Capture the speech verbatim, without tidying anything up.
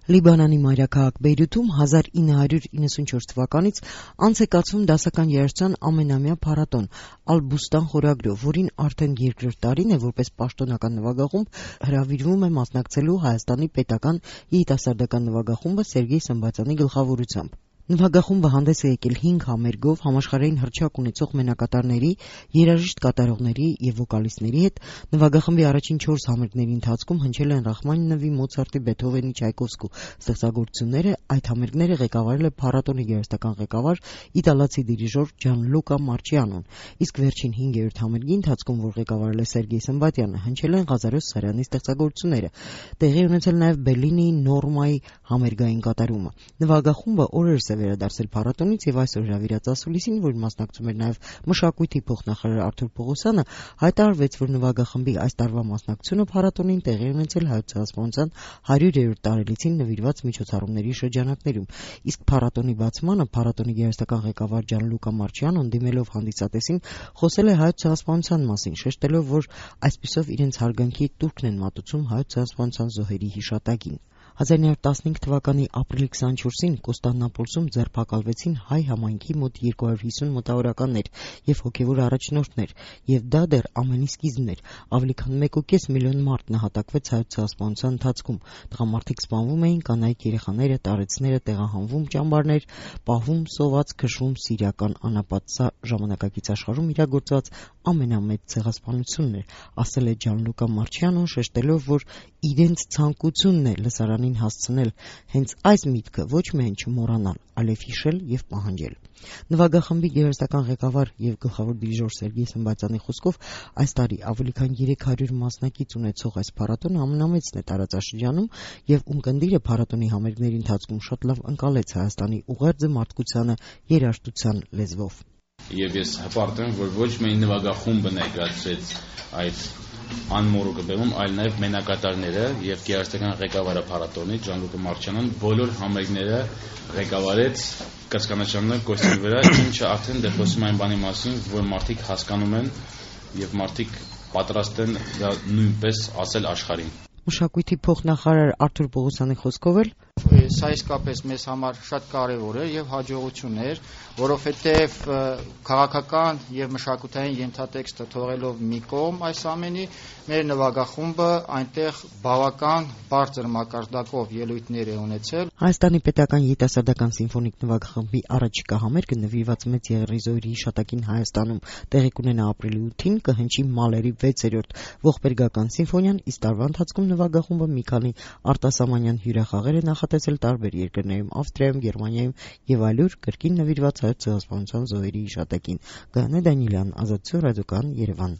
Լիբանանի մայրաքաղաք Բեյրութում հազար ինը հարյուր իննսունչորս թվականից անց է կացվում դասական երաժշտության ամենամյա փառատոն «Ալ-Բուստան» խորագրով, որին արդեն երկրորդ տարին է որպես պաշտոնական նվագախումբ հրավիրվում է մասնակցելու Հայաստանի պետական երիտասարդական նվագախումբը Սերգեյ Սմբատյանի գլխավորությամբ։ Նվագախումբը հանդես է եկել հինգ համերգով համաշխարհային հռչակ ունեցող մենակատարների, երաժիշտ կատարողների եւ վոկալիստների հետ։ Նվագախմբի առաջին չորս համերգների ընթացքում հնչել են Ռախմանինովի, Մոցարտի, Բեթհովենի, Չայկովսկու ստեղծագործությունները։ Այդ համերգները ղեկավարել է փառատոնի երաժշտական ղեկավար իտալացի դիրիժոր Ջանլուկա Մարչիանոն, իսկ վերջին հինգերորդ համերգի ընթացքում, որ ղեկավարել է Սերգեյ Սմբատյանը, հնչել են Ղազարոս Սարյանի ստեղծագործությունները։ Տեղի ունեցել նաեւ Բելլինիի Նորմայի համերգային կատարումը։ Նվագախումբը օրերս է վերադարձել փառատոնից եւ այսօր հրավիրած ասուլիսին, որին մասնակցում էր նաեւ մշակույթի փոխնախարար Արթուր Պողոսյանը, հայտարարվեց, որ նվագախմբի այս տարվա մասնակցությունը փառատոնին տեղի ունեցել Հայոց ցեղասպանության հարյուրերորդ տարելիցին նվիրված միջոցառումների շրջանակներում։ Իսկ փառատոնի բացմանը փառատոնի երաժշտական ղեկավար Ջանլուկա Մարչիանոն, դիմելով հանդիսատեսին, խոսել է Հայոց ցեղասպանության մասին, շեշտելով, որ այսպիսով իրենց հարգանքի տուրքն են մատուցում Հայոց ցեղասպանության զոհերի հիշատակին։ հազար նույնսուն տասնհինգ թվականի ապրիլի քսաներկուսին Կոստանդնուպոլսում ձերբակալվեցին հայ համայնքի մոտ երկու հարյուր հիսուն մոտավորականներ եւ հոգեվոր առաջնորդներ, եւ դա դեռ ամենի սկիզբն էր։ Ավելի քան մեկ ու կես միլիոն մարդ նահատակվեց Հայոց ցեղասպանության ընթացքում։ Տղամարդիկ սպանվում էին, կանայք երեխաները, տարեցները տեղահանվում ճամբարներ, պահվում, սոված, քշվում սիրիական անապատ։ Սա ժամանակակից աշխարհում իրագործված ամենամեծ ցեղասպանությունն էր, ասել է Ջանլուկա Մարչիանոն, շեշտելով, որ իրենց ցանկությունն է լսարանին հասցնել հենց այս միտքը ոչ միայն չմոռանալ, այլև հիշել եւ պահանջել։ Նվագախմբի երաժշտական ղեկավար եւ գլխավոր դիրիժոր Սերգեյ Սմբատյանի խոսքով այս տարի ավելի քան երեք հարյուր մասնակից ունեցող այս փառատոնը ամենամեծն է տարածաշրջանում եւ ունկնդիրը փառատոնի համերգների ընթացքում շատ լավ ընկալեց Հայաստանի ուղերձը մարդկությանը երաժշտության լեզվով։ Եվ ես հպարտ եմ, որ ոչ միայն նվագախումբը ներկայացրեց այդ անմոռուկը բեմում, այլ նաև մենակատարները եւ երաժշտական ղեկավարը փառատոնի Ջանլուկա Մարչիանոն բոլոր համերգները ղեկավարեց կասկանաշանակ կոստյումի վրա, ինչը արդեն դեռ խոսում այն բանի մասին, որ մարդիկ հասկանում են եւ մարդիկ պատրաստ են դա նույնպես ասել աշխարհին։ Մշակույթի փոխնախարար Արթուր Պողոսյանի խոսքով էլ սա իսկապես մեզ համար շատ կարևոր է եւ հաջողություն էր, որովհետեւ քաղաքական եւ մշակութային ենթատեքստը թողելով մի կողմ այս ամենի, մեր նվագախումբը այնտեղ բավական բարձր մակարդակով ելույթներ է ունեցել։ Հայաստանի պետական երիտասարդական սիմֆոնիկ նվագախմբի առաջիկա համերգը նվիրված մեծ Եղեռի հիշատակին Հայաստանում տեղի կունենա ապրիլի ութին, կհնչի Մալերի վեցերորդ ողբերգական սիմֆոնիան, իսկ տարվա ընթացքում նվագախումբը մի քանի արտասահմանյան հյուրախաղեր է նախատեսել տարբեր երկրներում, Ավստրիայում, Գերմանիայում եւ այլուր, կրկին նվիրված Հայոց ցեղասպանության զոհերի հիշատակին։ Գայանե Դանիելյան, Ազատություն ռադիոկայան, Երևան։